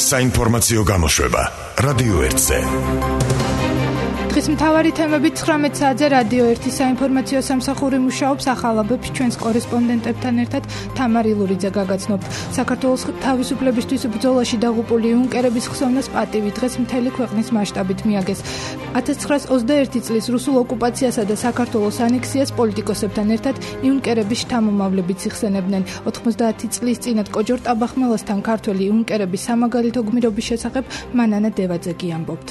საინფორმაციო გამოშვება რადიო 1-ზე. დღის მთავარი თემები 19 საათზე რადიო 1-ის საინფორმაციო სამსახური მუშაობს, ახალაბებს ჩვენს კორესპონდენტებთან ერთად თამარ ილურიძე გაგაცნობთ. საქართველოს თავისუფლებისთვის ბრძოლაში დაღუპული იუნკერების ხსოვნას პატივი დღეს მთელი ქვეყნის მასშტაბით მიაგეს. 1921 წლის რუსულ ოკუპაციასა და საქართველოს ანექსიას პოლიტიკოსებთან ერთად იუნკერების შთამომავლებიც იხსენებდნენ. 90 წლის წინათ კოჯორ ტაბახმელასთან ქართველი იუნკერების სამაგალითო გმირობის შესახებ მანანა დევაძე კი ამბობთ.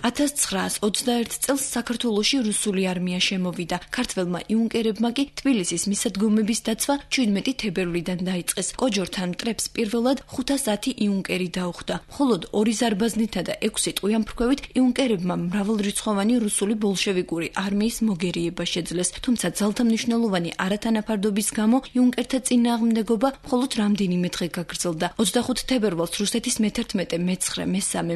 1921 წელს საქართველოში რუსული არმია შემოვიდა. ქართველმა იუნკერებმა კი თბილისის მისადგომების დაცვა 17 თებერვლიდან დაიწყეს. კოჯორთან მტრებს პირველად 510 იუნკერი დაუხდა. მხოლოდ 2 ზარბაზნითა და 6 ტყვიამფრქვევით იუნკერებმა მრავალრიცხოვანი რუსული ბოლშევიკური არმიის მოგერიება შეძლეს. თუმცა ძალთა მნიშვნელოვანი არათანაფარდობის გამო იუნკერთა წინააღმდეგობა მხოლოდ რამდენიმე დღე გაგრძელდა. 25 თებერვალს რუსეთის მე-11, მე-9, მე-3,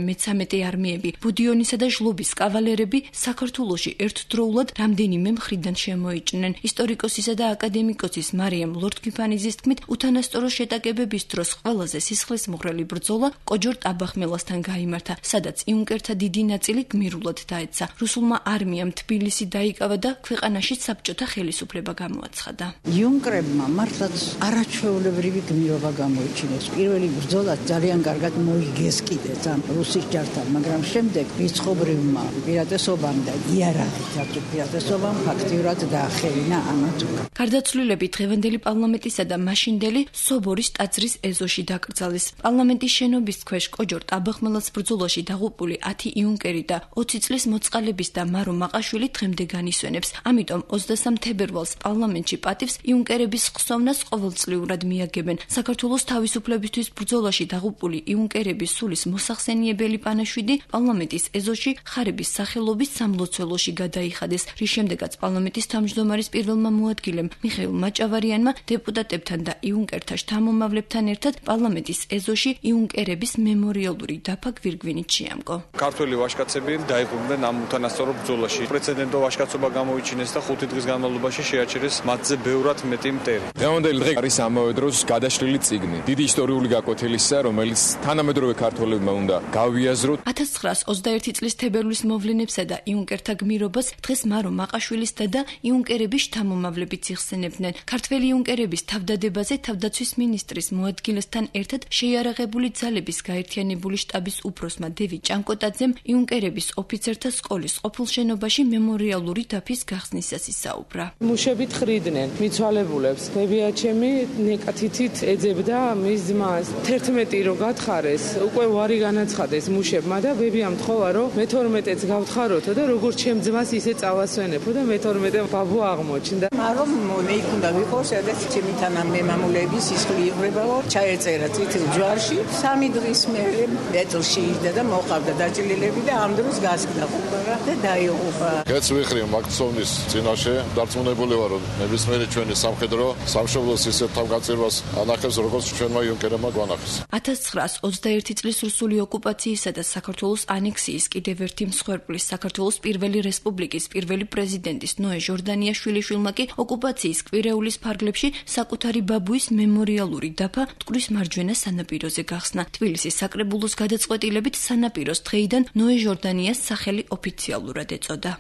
მე-13 არმიები ბუდიონის და ჟლობის კავალერები საქართველოში ერთდროულად რამდენიმე მხრიდან შემოიჭნენ. ისტორიკოსისა და აკადემიკოსის მარიამ ლორდ-გიფანიძის თქმით, უთანასწორო შეტაკებების დროს ყველაზე სისხლისმღვრელი ბრძოლა კოჯორ ტაბახმელასთან გაიმართა, სადაც იუნკერთა დიდი ნაწილი გმირულად დაეცა. რუსულმა არმიამ თბილისი დაიკავა და ქვეყანაში საბჭოთა ხელისუფლება გამოაცხადა. იუნკერებმა მართლაც არაჩვეულებრივი გმირობა გამოიჩინეს. პირველი ბრძოლა ძალიან კარგად მოიგეს კიდეც ამ რუსის ჯართან, მაგრამ შემდეგ ბრმა პირატესობამ და იარაღით პირატესობამ ფაქტიურად დაახევინა ამათ. გარდაცვლილები დღევანდელი პარლამენტისა და მაშინდელი სობორის ტაძრის ეზოში დაკრძალეს. პარლამენტის შენობის ქვეშ კოჯორ ტაბახმელას ბრძოლაში დაღუპული 10 იუნკერი და 20 წლის მოწყალების და მარო მაყაშვილი დღემდე განისვენებს. ამიტომ 23 თებერვალს პარლამენტში პატივს იუნკერების ხსოვნას ყოველწლიურად მიაგებენ. საქართველოს თავისუფლებისთვის ბრძოლაში დაღუპული იუნკერების სულის მოსახსენიებელი პანაშვიდი პარლამენტის ეზოში ხარების სახელობის სამლოცველოში გადაიხადეს, რის შემდეგაც პარლამენტის თავმჯდომარის პირველმა მოადგილემ მიხეილ მაჭავარიანმა დეპუტატებთან და იუნკერთა შთამომავლებთან ერთად პარლამენტის ეზოში იუნკერების მემორიალური დაფა გვირგვინით შეამკო. ქართველი ვაჟკაცები დაიღუპნენ ამ უთანასწორო ბრძოლაში. პრეცედენტო ვაჟკაცობა გამოიჩინეს და 5 დღის განმავლობაში შეაჩერეს მათზე ბევრად მეტი მტერი. დღევანდელი დღე არის ამავე დროს გადაშლილი წიგნი, დიდი ისტორიული გაკვეთილისა, რომელიც თანამედროვე ქართველებმა უნდა გავიაზროთ. 1921 წლის თებერვლის მოვლენებსა და იუნკერთა გმირობას დღეს მარო მაყაშვილის და იუნკერების შთამომავლებიც იხსენებდნენ. ქართველი იუნკერების თავდადებაზე თავდაცვის მინისტრის მოადგილესთან ერთად შეიარაღებული ძალების გაერთიანებული შტაბის უფროსმა დევი ჭანკოტაძემ იუნკერების ოფიცერთა სკოლის ყოფილ შენობაში მემორიალური დაფის გახსნისას ისაუბრა. მუშებით ხრიდნენ მიცვალებულებს. ბებიაჩემი ნეკათითით ეძებდა მის ძმას. 11 რო გათხარეს, უკვე ვარი განაცხადეს მუშებმა და ბებიამ თხოვა რომ მე-12-ს გავთხაროთო და როგორც ჩემ ძმას ისე წავასვენებო და მე-12 ბაბუ აღმოჩნდა. მაგრამ მე იქ უნდა ვიყო, სადაც ჩემი თანამემამულეების სისხლი იღრებაო, ჩაეწერა წითელ ჯვარში. 3 დღის მერე ეტლში იჯდა და მოყავდა დაჭილილები და ამ დროს გასკდა ყურა და დაიღუპა. კეც ვიხრი მაკსოვნის წინაშე დარწმუნებული ვარ, რომ ნებისმიერი ჩვენი სამხედრო სამშობლოს ისეთ თავგაწირვას ანახებს, როგორც ჩვენმა იუნკერებმა გვანახეს. 1921 წლის რუსული ოკუპაციისა და საქართველოს ანექსიის კიდევ ერთი მსხვერპლის საქართველოს პირველი რესპუბლიკის პირველი პრეზიდენტის ნოე ჟორდანიაშვილიშვილმა კი ოკუპაციის კვირეულის ფარგლებში საკუთარი ბაბუის მემორიალური დაფა მტკვრის მარჯვენა სანაპიროზე გახსნა. თბილისის საკრებულოს გადაწყვეტილებით სანაპიროს დღეიდან ნოე ჟორდანიას სახელი ოფიციალურად ეწოდა.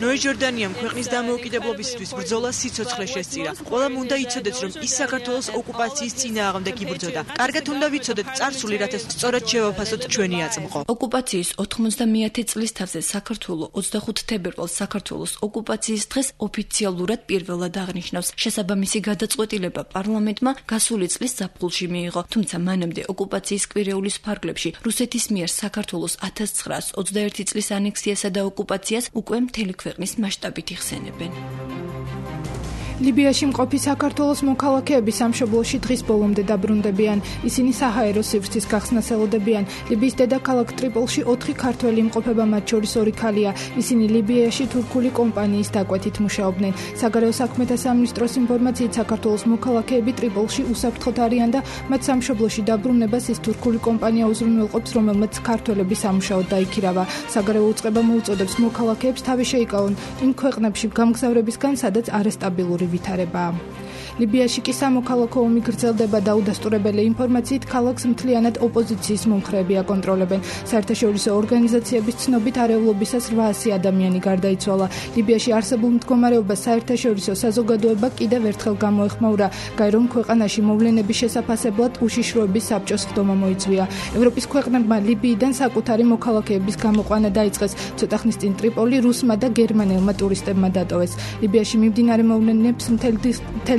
ნოე ჟორდანიამ ქვეყნის დამოუკიდებლობისთვის ბრძოლა სიცოცხლე შესწირა. ყველამ უნდა იცოდეს, რომ ის საქართველოს ოკუპაციის წინააღმდეგ იბრძოდა. კარგად უნდა ვიცოდეთ წარსული, რათა სწორად შევაფასოთ ჩვენი აწმყო. ოკუპაციის 91 წლის თავზე საქართველოს 25 თებერვალს საქართველოს ოკუპაციის დღეს ოფიციალურად პირველად აღნიშნავს. შესაბამისი გადაწყვეტილება პარლამენტმა გასული წლის ზაფხულში მიიღო, თუმცა მანამდე ოკუპაციის კვირეულის ფარგლებში რუსეთის მიერ საქართველოს 1921 წლის ანექსიასა და ოკუპაციას უკვე მთელი ქვეყნის მასშტაბით იხსენებენ. ლიბიაში მყოფი საქართველოს მოქალაქეები სამშობლოში დღის ბოლომდე დაბრუნდებიან. ისინი საჰაერო სივრცის გახსნას ელოდებიან. ლიბიის დედაქალაქ ტრიპოლში 4 ქართველი იმყოფება, მათ შორის 2 ქალია. ისინი ლიბიაში თურქული კომპანიის დაკვეთით მუშაობდნენ. საგარეო საქმეთა სამინისტროს ინფორმაციით საქართველოს მოქალაქეები ტრიპოლში უსაფრთხოდ არიან და მათ სამშობლოში დაბრუნებას ის თურქული კომპანია უზრუნველყოფს, რომელმაც ქართველები სამუშაოდ დაიქირავა. საგარეო უწყება მოუწოდებს მოქალაქეებს თავი შეიკავონ იმ ქვეყნებში გამგზავრებისგან, სადაც არასტაბილური ვითარებაა. ლიბიაში კი სამოქალაქო ომი გრძელდება და უდასტურებელი ინფორმაციით ქალაქს მთლიანად ოპოზიციის მომხრეები აკონტროლებენ. საერთაშორისო ორგანიზაციების ცნობით არეულობისას 800 ადამიანი გარდაიცვალა. ლიბიაში არსებულ მდგომარეობას საერთაშორისო საზოგადოება კიდევ ერთხელ გამოეხმაურა. გაერომ ქვეყანაში მოვლენების შესაფასებლად უშიშროების საბჭოს ხდომა მოიწვია. ევროპის ქვეყნებმა ლიბიიდან საკუთარი მოქალაქეების გამოყვანა დაიწყეს. ცოტა ხნის წინ ტრიპოლი რუსმა და გერმანელმა ტურისტებმა დატოვეს. ლიბიაში მიმდინარე მოვლენებს მთელ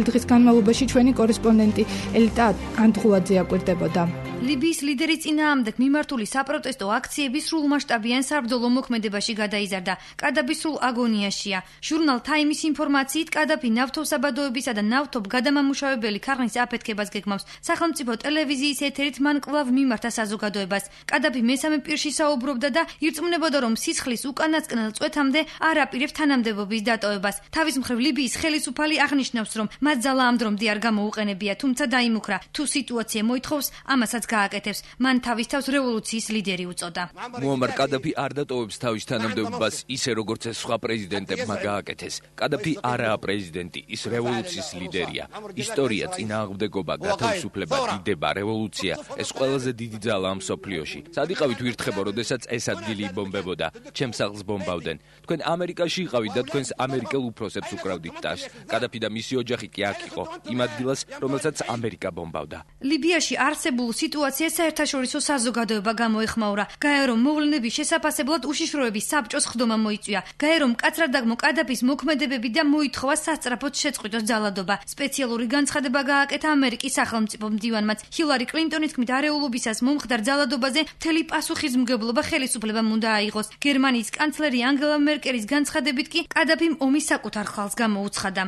დღის განმავლობაში ჩვენი კორესპონდენტი ელიტა ანდღულაძე აკვირდებოდა. ლიბიის ლიდერის წინააღმდეგ მიმართული საპროტესტო აქციები სრულმასშტაბიან საბრძოლო მოქმედებაში გადაიზარდა. კადაფი სრულ აგონიაშია. ჟურნალ თაიმის ინფორმაციით, კადაფი ნავთობსაბადოებისა და ნავთობგადამამუშავებელი ქარხნის აფეთქებას გეგმავს. სახელმწიფო ტელევიზიის ეთერით მან კვლავ მიმართა საზოგადოებას. კადაფი მესამე პირში საუბრობდა და ირწმუნებოდა, რომ სისხლის უკანასკნელ წვეთამდე არ აპირებს თანამდებობის დატოვებას. თავის მხრივ ლიბიის ხელისუფალი აღნიშნავს, რომ მათ ძალა ამ დრომდე არ გამოუყენებია, თუმცა დაიმუქრა. თუ სიტუაცია მოითხოვს, ამასაც გააკეთებს. მან თავის თავს რევოლუციის ლიდერი უწოდა. მუამარ კადაფი არ დატოვებს თავის თანამდებობას ისე როგორც ეს სხვა პრეზიდენტებმა გააკეთეს. კადაფი არაა პრეზიდენტი, ის რევოლუციის ლიდერია. ისტორია, წინააღმდეგობა, გათავისუფლება, დიდება, რევოლუცია, ეს ყველაზე დიდი ძალაა მსოფლიოში. სად იყავით ვირთხებო, როდესაც ეს ადგილი იბომბებოდა, ჩემს სახლს ბომბავდნენ. თქვენ ამერიკაში იყავით და თქვენს ამერიკელ უფროსებს უკრავდით ტაშს. კადაფი და მისი ოჯახი კი აქ იყო, იმ ადგილას, რომელსაც ამერიკა ბომბავდა. ლიბიაში არსებულ სიტუაციას საერთაშორისო საზოგადოება გამოეხმაურა. გაერომ მოვლენების შესაფასებლად უშიშროების საბჭოს ხდომა მოიწვია. გაერომ მკაცრად დაგმო კადაფის მოქმედებები და მოითხოვა სასწრაფოდ შეწყვიტოს ძალადობა. სპეციალური განცხადება გააკეთა ამერიკის სახელმწიფო მდივანმაც. ჰილარი კლინტონის თქმით, არეულობისას მომხდარ ძალადობაზე მთელი პასუხისმგებლობა ხელისუფლებამ უნდა აიღოს. გერმანიის კანცლერი ანგელა მერკელის განცხადებით კი კადაფიმ ომის საკუთარ ხალხს გამოუცხადა.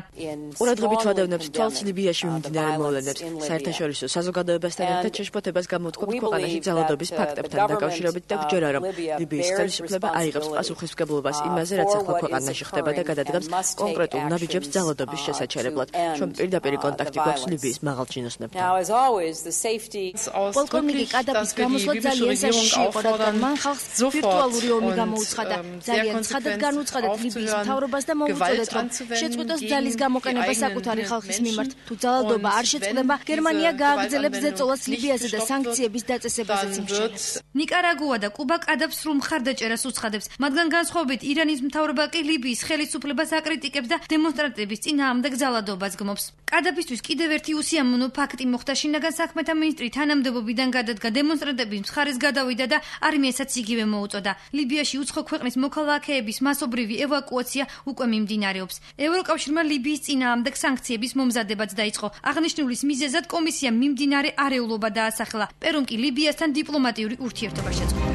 ყურადღებით ვადევნებთ თვალს ლიბიაში მიმდინარე მოვლენებს. საერთაშორისო საზოგადოებასთან ერთად შეშფოთებას გამოთქვამთ ქვეყანაში ძალადობის ფაქტებთან დაკავშირებით და გვჯერა, რომ ლიბიის ხელისუფლება აიღებს პასუხისმგებლობას იმაზე, რაც ახლა ქვეყანაში ხდება და გადადგამს კონკრეტულ ნაბიჯებს ძალადობის შესაჩერებლად. ჩვენ პირდაპირ კონტაქტი გვაქვს ლიბიის მაღალჩინოსნებთან. პოლკოვნიკი კადაფის გამოსვლა ძალიან საშიში იყო, რადგან მან ხალხს ვირტუალური ომი გამოუცხადა. ძალიან ცხადად განუცხადეთ ლიბიის მთავრობას და მოუწოდეთ, რომ შეწყვიტოს ძალის გამოყენება საკუთარი ხალხის მიმართ. თუ ძალადობა არ შეწყდება, გერმანია გააგრძელებს ზეწოლას ლიბიაზე და სანქციების დაწესებაზეც იმშენებს. ნიკარაგუა და კუბა კადაფს სრულ მხარდაჭერას უცხადებს. მათგან განსხვავებით ირანის მთავრობა კი ლიბიის ხელისუფლებას აკრიტიკებს და დემონსტრანტების წინააღმდეგ ძალადობას გმობს. კადაფისთვის კიდევ ერთი უსიამოვნო ფაქტი მოხდა. შინაგან საქმეთა მინისტრი თანამდებობიდან გადადგა, დემონსტრანტების მხარეს გადავიდა და არმიასაც იგივე მოუწოდა. ლიბიაში უცხო ქვეყნის მოქალაქეების მასობრივი ევაკუაცია უკვე მიმდინარეობს. ევროკავშირმა ლიბიის წინააღმდეგ სანქციების მომზადებაც დაიწყო. აღნიშნულის მიზეზად კომისიამ მიმდინარე არეულობა დაასახელა. პერუმ კი ლიბიასთან დიპლომატიური ურთიერთობა შეწყდა.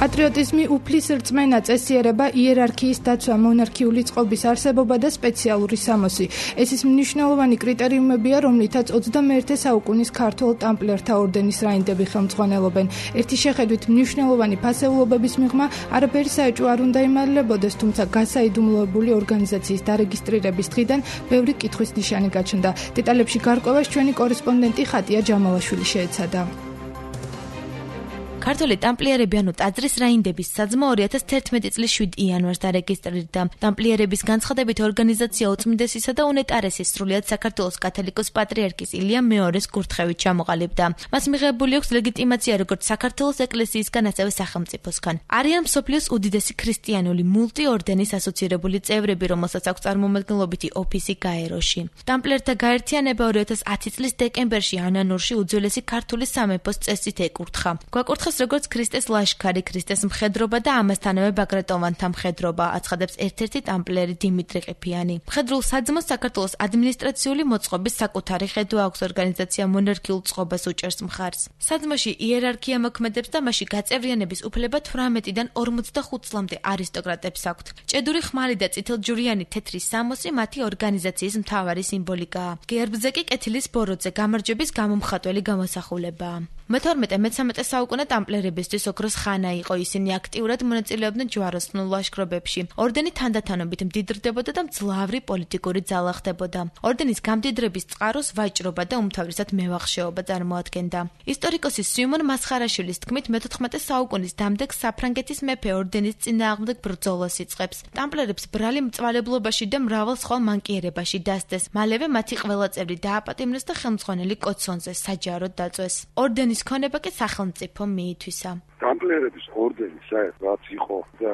პატრიოტიზმი, უფლის რწმენა, წესიერება, იერარქიის დაცვა, მონარქიული წყობის არსებობა და სპეციალური სამოსი. ეს ის მნიშვნელოვანი კრიტერიუმებია, რომლითაც 21 საუკუნის ქართველ ტამპლერთა ორდენის რაინდები ხელმძღვანელობენ. ერთი შეხედვით მნიშვნელოვანი ფასეულობების მიღმა არაფერი საეჭვო არ უნდა იმალლებოდეს, თუმცა გასაიდუმლოებული ორგანიზაციის დარეგისტრირების დღიდან ბევრი კითხვის ნიშანი გაჩნდა. დეტალებში გარკვევას ჩვენი კორესპონდენტი ხატია ჯამალაშვილი შეეცადა. ქართველი ტამპლიერები ანუ ტაძრის რაინდების საძმო 2011 წლის 7 იანვარს დარეგისტრირდა. ტამპლიერების განცხადებით ორგანიზაცია უწმინდესისა და უნეტარესის სრულიად საქართველოს კათოლიკოს პატრიარქის ილია მეორეს კურთხევით ჩამოყალიბდა. მას მიღებული აქვს ლეგიტიმაცია როგორც საქართველოს ეკლესიისგან, ასევე სახელმწიფოსგან. არიან მსოფლიოს უდიდესი ქრისტიანული მულტიორდენის ასოცირებული წევრები, რომელსაც აქვს წარმომადგენლობითი ოფისი გაეროში. ტამპლიერთა გაერთიანება 2010 წლის დეკემბერში ანანურში უძველესი ქართული სამეფოს წესით ეკურთხა. გვაკურთხა როგორც ქრისტეს ლაშქარი, ქრისტეს მხედრობა და ამასთანავე ბაგრატოვანთა მხედრობა, აცხადებს ერთ-ერთი ტამპლერი დიმიტრი ყიფიანი. მხედრულ საძმოს საქართველოს ადმინისტრაციული მოწყობის საკუთარი ხედვა აქვს, ორგანიზაცია მონარქიულ წყობას უჭერს მხარს. საძმოში იერარქია მოქმედებს და მასში გაწევრიანების უფლება 18-დან 45 წლამდე არისტოკრატებს აქვთ. ჭედური ხმალი და წითელჯვრიანი თეთრი სამოსი მათი ორგანიზაციის მთავარი სიმბოლიკაა. გერბზე კი კეთილის ბოროტზე გამარჯვების გამომხატველი გამოსახულებაა. მე-12-13 საუკუნე ტამპლერებისთვის ოქროს ხანა იყო, ისინი აქტიურად მონაწილეობდნენ ჯვაროსნულ ლაშქრობებში. ორდენი თანდათანობით მდიდრდებოდა და მძლავრი პოლიტიკური ძალა ხდებოდა. ორდენის გამდიდრების წყაროს ვაჭრობა და უმთავრესად მევახშეობა წარმოადგენდა. ისტორიკოსი სიუმონ მასხარაშვილის თქმით, მე-14 საუკუნის დამდეგ საფრანგეთის მეფე ორდენის წინააღმდეგ ბრძოლას იწყებს. ტამპლერებს ბრალი მწვალებლობაში და მრავალ სხვა მანკიერებაში დასდეს. მალევე მათი ყველა წევრი დააპატიმრეს და ხელმძღვანელი კოცონზე საჯაროდ დაწვეს. ორდენის ქონება კი სახელმწიფო მიითვისა. ტამპლერების ორდენი საერთოდ რაც იყო და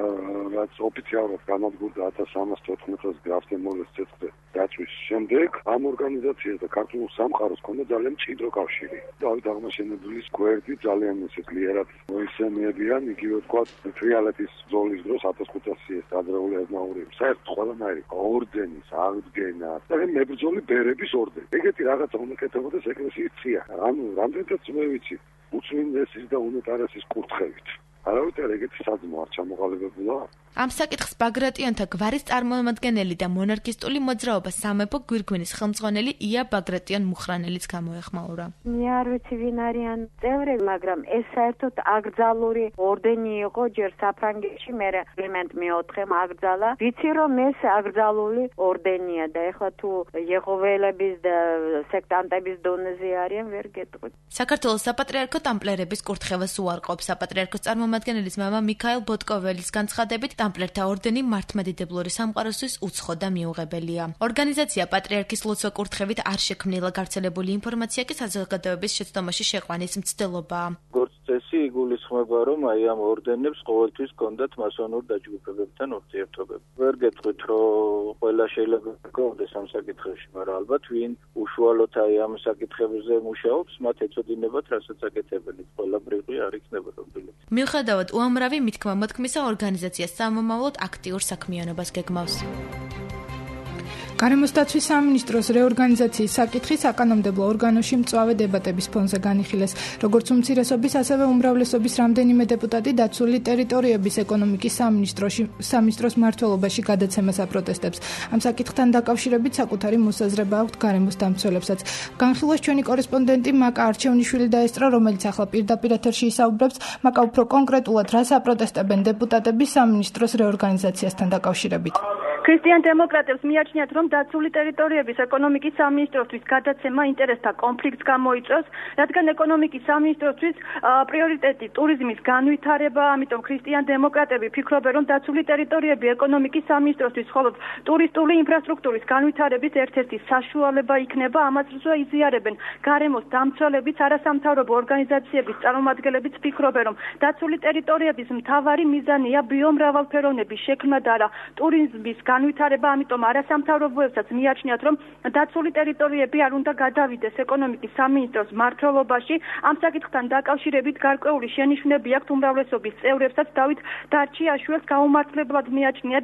რაც ოფიციალურად განადგურდა 1314 წელს გრაფ დე მოლეს ცეცხლზე დაწვის შემდეგ ამ ორგანიზაციას და ქართულ სამყაროს ჰქონდა ძალიან მჭიდრო კავშირი. დავით აღმაშენებლის გვერდი ძალიან ისე ძლიერად მოისმენებიან, იგივე თქვა თრიალეთის ბრძოლის დროს 1500 ადრეული აზნაურები. საერთოდ ყველანაირი ორდენის აღდგენა და მებრძოლი ბერების ორდენი. ეგეთი რაღაცა უნდა კეთებოდეს ეკლესიის წია. ანუ რამდენადაც მე ვიცი უწმინდესის და უნეტარესის კურთხევით. არავითარ ეგეთი საძმო არ ჩამოყალიბებულა. ამ საკითხს ბაგრატიონთა გვარის წარმომადგენელი და მონარქისტული მოძრაობა სამეფო გვირგვინის ხელმძღვანელი ია ბაგრატიონ მუხრანელიც გამოეხმაურა. მე არ ვიცი ვინ არიან წევრები, მაგრამ ეს საერთოდ აკრძალული ორდენი იყო ჯერ საფრანგეთში, მერე კლიმენტ მე-4-მ აკრძალა. ვიცი რომ ეს აკრძალული ორდენია და ეხლა თუ იეჰოველების და სექტანტების დონეზე არიან, ვერ გეტყვით. საქართველოს საპატრიარქო ტამპლერების კურთხევას უარყოფს. საპატრიარქოს წარმომადგენლის მამა მიქაელ ბოტკოველის განცხადებით, ტამპლერთა ორდენი მართლმადიდებლური სამყაროსთვის უცხო და მიუღებელია. ორგანიზაცია პატრიარქის ლოცვა კურთხევით არ შექმნილა, გავრცელებული ინფორმაცია კი საზოგადოების შეცდომაში შეყვანის მცდელობაა. წესი იგულისხმება, რომ აი ამ ორდენებს ყოველთვის ჰქონდათ მასონურ დაჯგუფებებთან ურთიერთობები. ვერ გეტყვით, რომ ყველა შეიძლება გქონდეს ამ საკითხებში, მაგრამ ალბათ ვინ უშუალოდ აი ამ საკითხებზე მუშაობს, მათ ეწოდინებათ რასაც აკეთებენ. ყველაფერი არ იქნება რობილი. მიუხედავად უამრავი მითქმა-მოთქმისა, ორგანიზაცია სამომავლოდ აქტიურ საქმიანობას გეგმავს. გარემოს დაცვის სამინისტროს რეორგანიზაციის საკითხი საკანონმდებლო ორგანოში მწვავე დებატების ფონზე განიხილეს. როგორც უმცირესობის, ასევე უმრავლესობის რამდენიმე დეპუტატი დაცული ტერიტორიების ეკონომიკის სამინისტროს მმართველობაში გადაცემას აპროტესტებს. ამ საკითხთან დაკავშირებით საკუთარი მოსაზრება აქვთ გარემოს დამცველებსაც. განხილვას ჩვენი კორესპონდენტი მაკა არჩევნიშვილი დაესწრო, რომელიც ახლა პირდაპირ ეთერში ისაუბრებს. მაკა, უფრო კონკრეტულად, რას აპროტესტებენ დეპუტატები სამინისტროს რეორგანიზაციასთან დაკავშირებით? ქრისტიან დემოკრატებს მიაჩნიათ, რომ დაცული ტერიტორიების ეკონომიკის სამინისტროსთვის გადაცემა ინტერესთა კონფლიქტს გამოიწვევს, რადგან ეკონომიკის სამინისტროსთვის პრიორიტეტი ტურიზმის განვითარება, ამიტომ ქრისტიან დემოკრატები ფიქრობენ, რომ დაცული ტერიტორიები ეკონომიკის სამინისტროსთვის მხოლოდ ტურისტული ინფრასტრუქტურის განვითარების ერთ-ერთი საშუალება იქნება. ამას იზიარებენ გარემოს დამცველებიც, არასამთავრობო ორგანიზაციების წარმომადგენლებიც ფიქრობენ, რომ დაცული ტერიტორიების მთავარი მიზანია ბიომრავალფეროვნების შექმნა და არა ტურიზმის განვითარება, ამიტომ არასამთავრობოებსაც მიაჩნიათ, რომ დაცული ტერიტორიები არ უნდა გადავიდეს ეკონომიკის სამინისტროს მმართველობაში. ამ საკითხთან დაკავშირებით გარკვეული შენიშვნები აქვთ უმრავლესობის წევრებსაც. დავით დარჩიაშვილს გაუმართლებლად მიაჩნია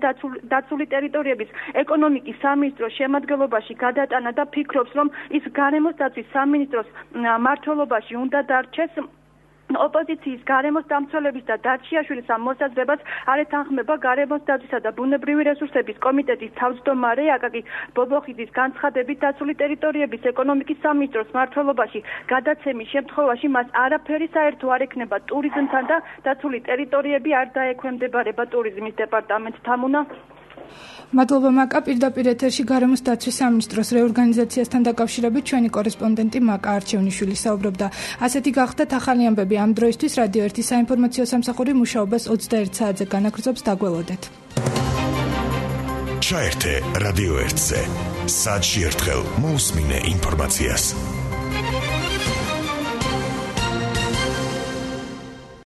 დაცული ტერიტორიების ეკონომიკის სამინისტროს შემადგენლობაში გადატანა და ფიქრობს, რომ ის გარემოს დაცვის სამინისტროს მმართველობაში უნდა დარჩეს. ოპოზიციის გარემოს დამცველების და დარჩიაშვილის ამ მოსაზრებას არ ეთანხმება გარემოს დაცვისა და ბუნებრივი რესურსების კომიტეტის თავმჯდომარე აკაკი ბობოხიძის განცხადებით, დაცული ტერიტორიების ეკონომიკის სამინისტროს მმართველობაში გადაცემის შემთხვევაში მას არაფერი საერთო არ ექნება ტურიზმთან და დაცული ტერიტორიები არ დაექვემდებარება ტურიზმის დეპარტამენტთან. მადლობა მაკა. პირდაპირ ეთერში გარემოს დაცვის სამინისტროს რეორგანიზაციასთან დაკავშირებით ჩვენი კორესპონდენტი მაკა არჩევნიშვილი საუბრობდა. ასეთი გახდათ ახალი ამბები ამ დროისთვის. რადიო 1 საინფორმაციო სამსახური მუშაობას 21 საათზე განაგრძობს. დაგველოდეთ. ჩაერთე რადიო 1-ზე. საათში ერთხელ მოусმინე ინფორმაციას.